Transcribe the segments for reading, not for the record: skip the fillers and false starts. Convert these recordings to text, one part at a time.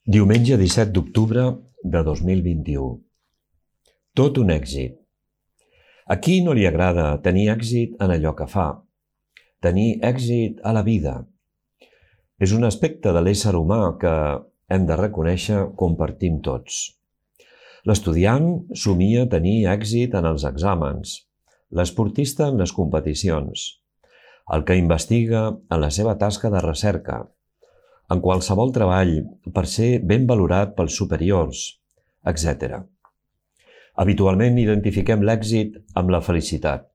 Diumenge 17 d'octubre de 2021. Tot un èxit. A qui no li agrada tenir èxit en allò que fa? Tenir èxit a la vida. És un aspecte de l'ésser humà que hem de reconèixer compartim tots. L'estudiant somia tenir èxit en els exàmens, l'esportista en les competicions, el que investiga en la seva tasca de recerca, en qualsevol treball per ser ben valorat pels superiors, etc. Habitualment identifiquem l'èxit amb la felicitat,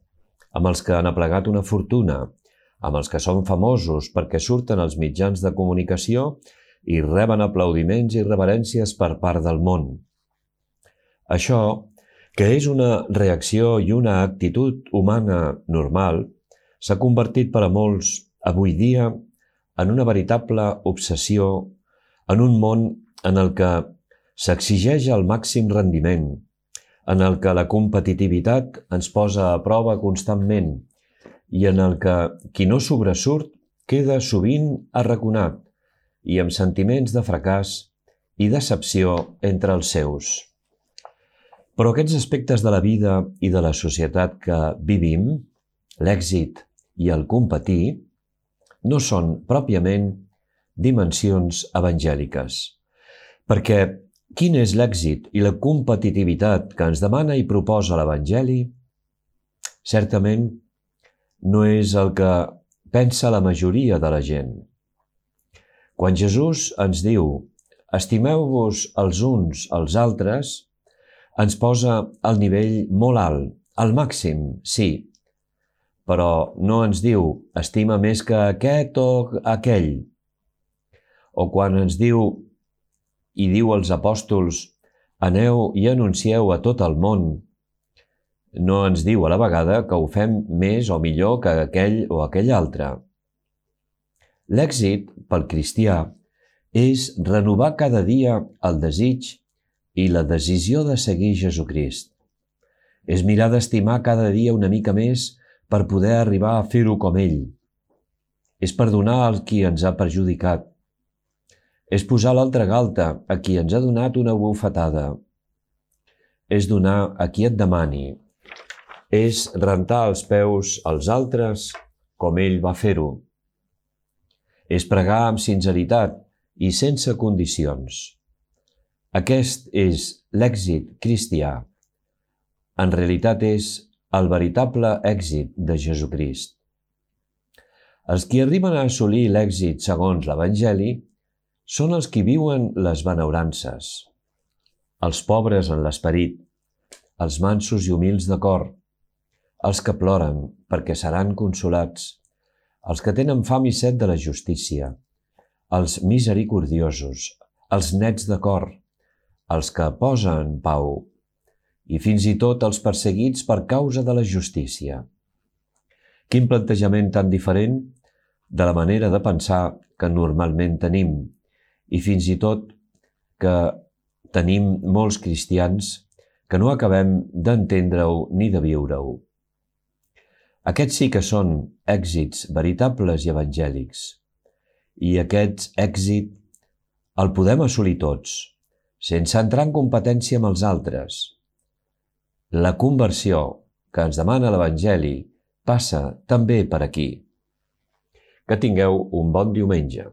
amb els que han aplegat una fortuna, amb els que són famosos perquè surten als mitjans de comunicació i reben aplaudiments i reverències per part del món. Això, que és una reacció i una actitud humana normal, s'ha convertit per a molts avui dia en una veritable obsessió, en un món en el que s'exigeix el màxim rendiment, en el que la competitivitat ens posa a prova constantment i en el que qui no sobresurt queda sovint arraconat i amb sentiments de fracàs i decepció entre els seus. Però aquests aspectes de la vida i de la societat que vivim, l'èxit i el competir, no són pròpiament dimensions evangèliques. Perquè quin és l'èxit i la competitivitat que ens demana i proposa l'Evangeli? Certament no és el que pensa la majoria de la gent. Quan Jesús ens diu «estimeu-vos els uns als altres», ens posa al nivell molt alt, al màxim, sí, però no ens diu «estima més que aquest o aquell». O quan ens diu i diu als apòstols «aneu i anuncieu a tot el món», no ens diu a la vegada que ho fem més o millor que aquell o aquell altre. L'èxit, pel cristià, és renovar cada dia el desig i la decisió de seguir Jesucrist. És mirar d'estimar cada dia una mica més per poder arribar a fer-ho com ell. És perdonar a qui ens ha perjudicat. És posar l'altra galta a qui ens ha donat una bufetada. És donar a qui et demani. És rentar els peus als altres com ell va fer-ho. És pregar amb sinceritat i sense condicions. Aquest és l'èxit cristià. En realitat és el veritable èxit de Jesucrist. Els qui arriben a assolir l'èxit segons l'Evangeli són els qui viuen les benaurances, els pobres en l'esperit, els mansos i humils de cor, els que ploren perquè seran consolats, els que tenen fam i set de la justícia, els misericordiosos, els nets de cor, els que posen pau, i fins i tot els perseguits per causa de la justícia. Quin plantejament tan diferent de la manera de pensar que normalment tenim, i fins i tot que tenim molts cristians que no acabem d'entendre-ho ni de viure-ho. Aquests sí que són èxits veritables i evangèlics, i aquest èxit el podem assolir tots, sense entrar en competència amb els altres. La conversió que ens demana l'Evangeli passa també per aquí. Que tingueu un bon diumenge.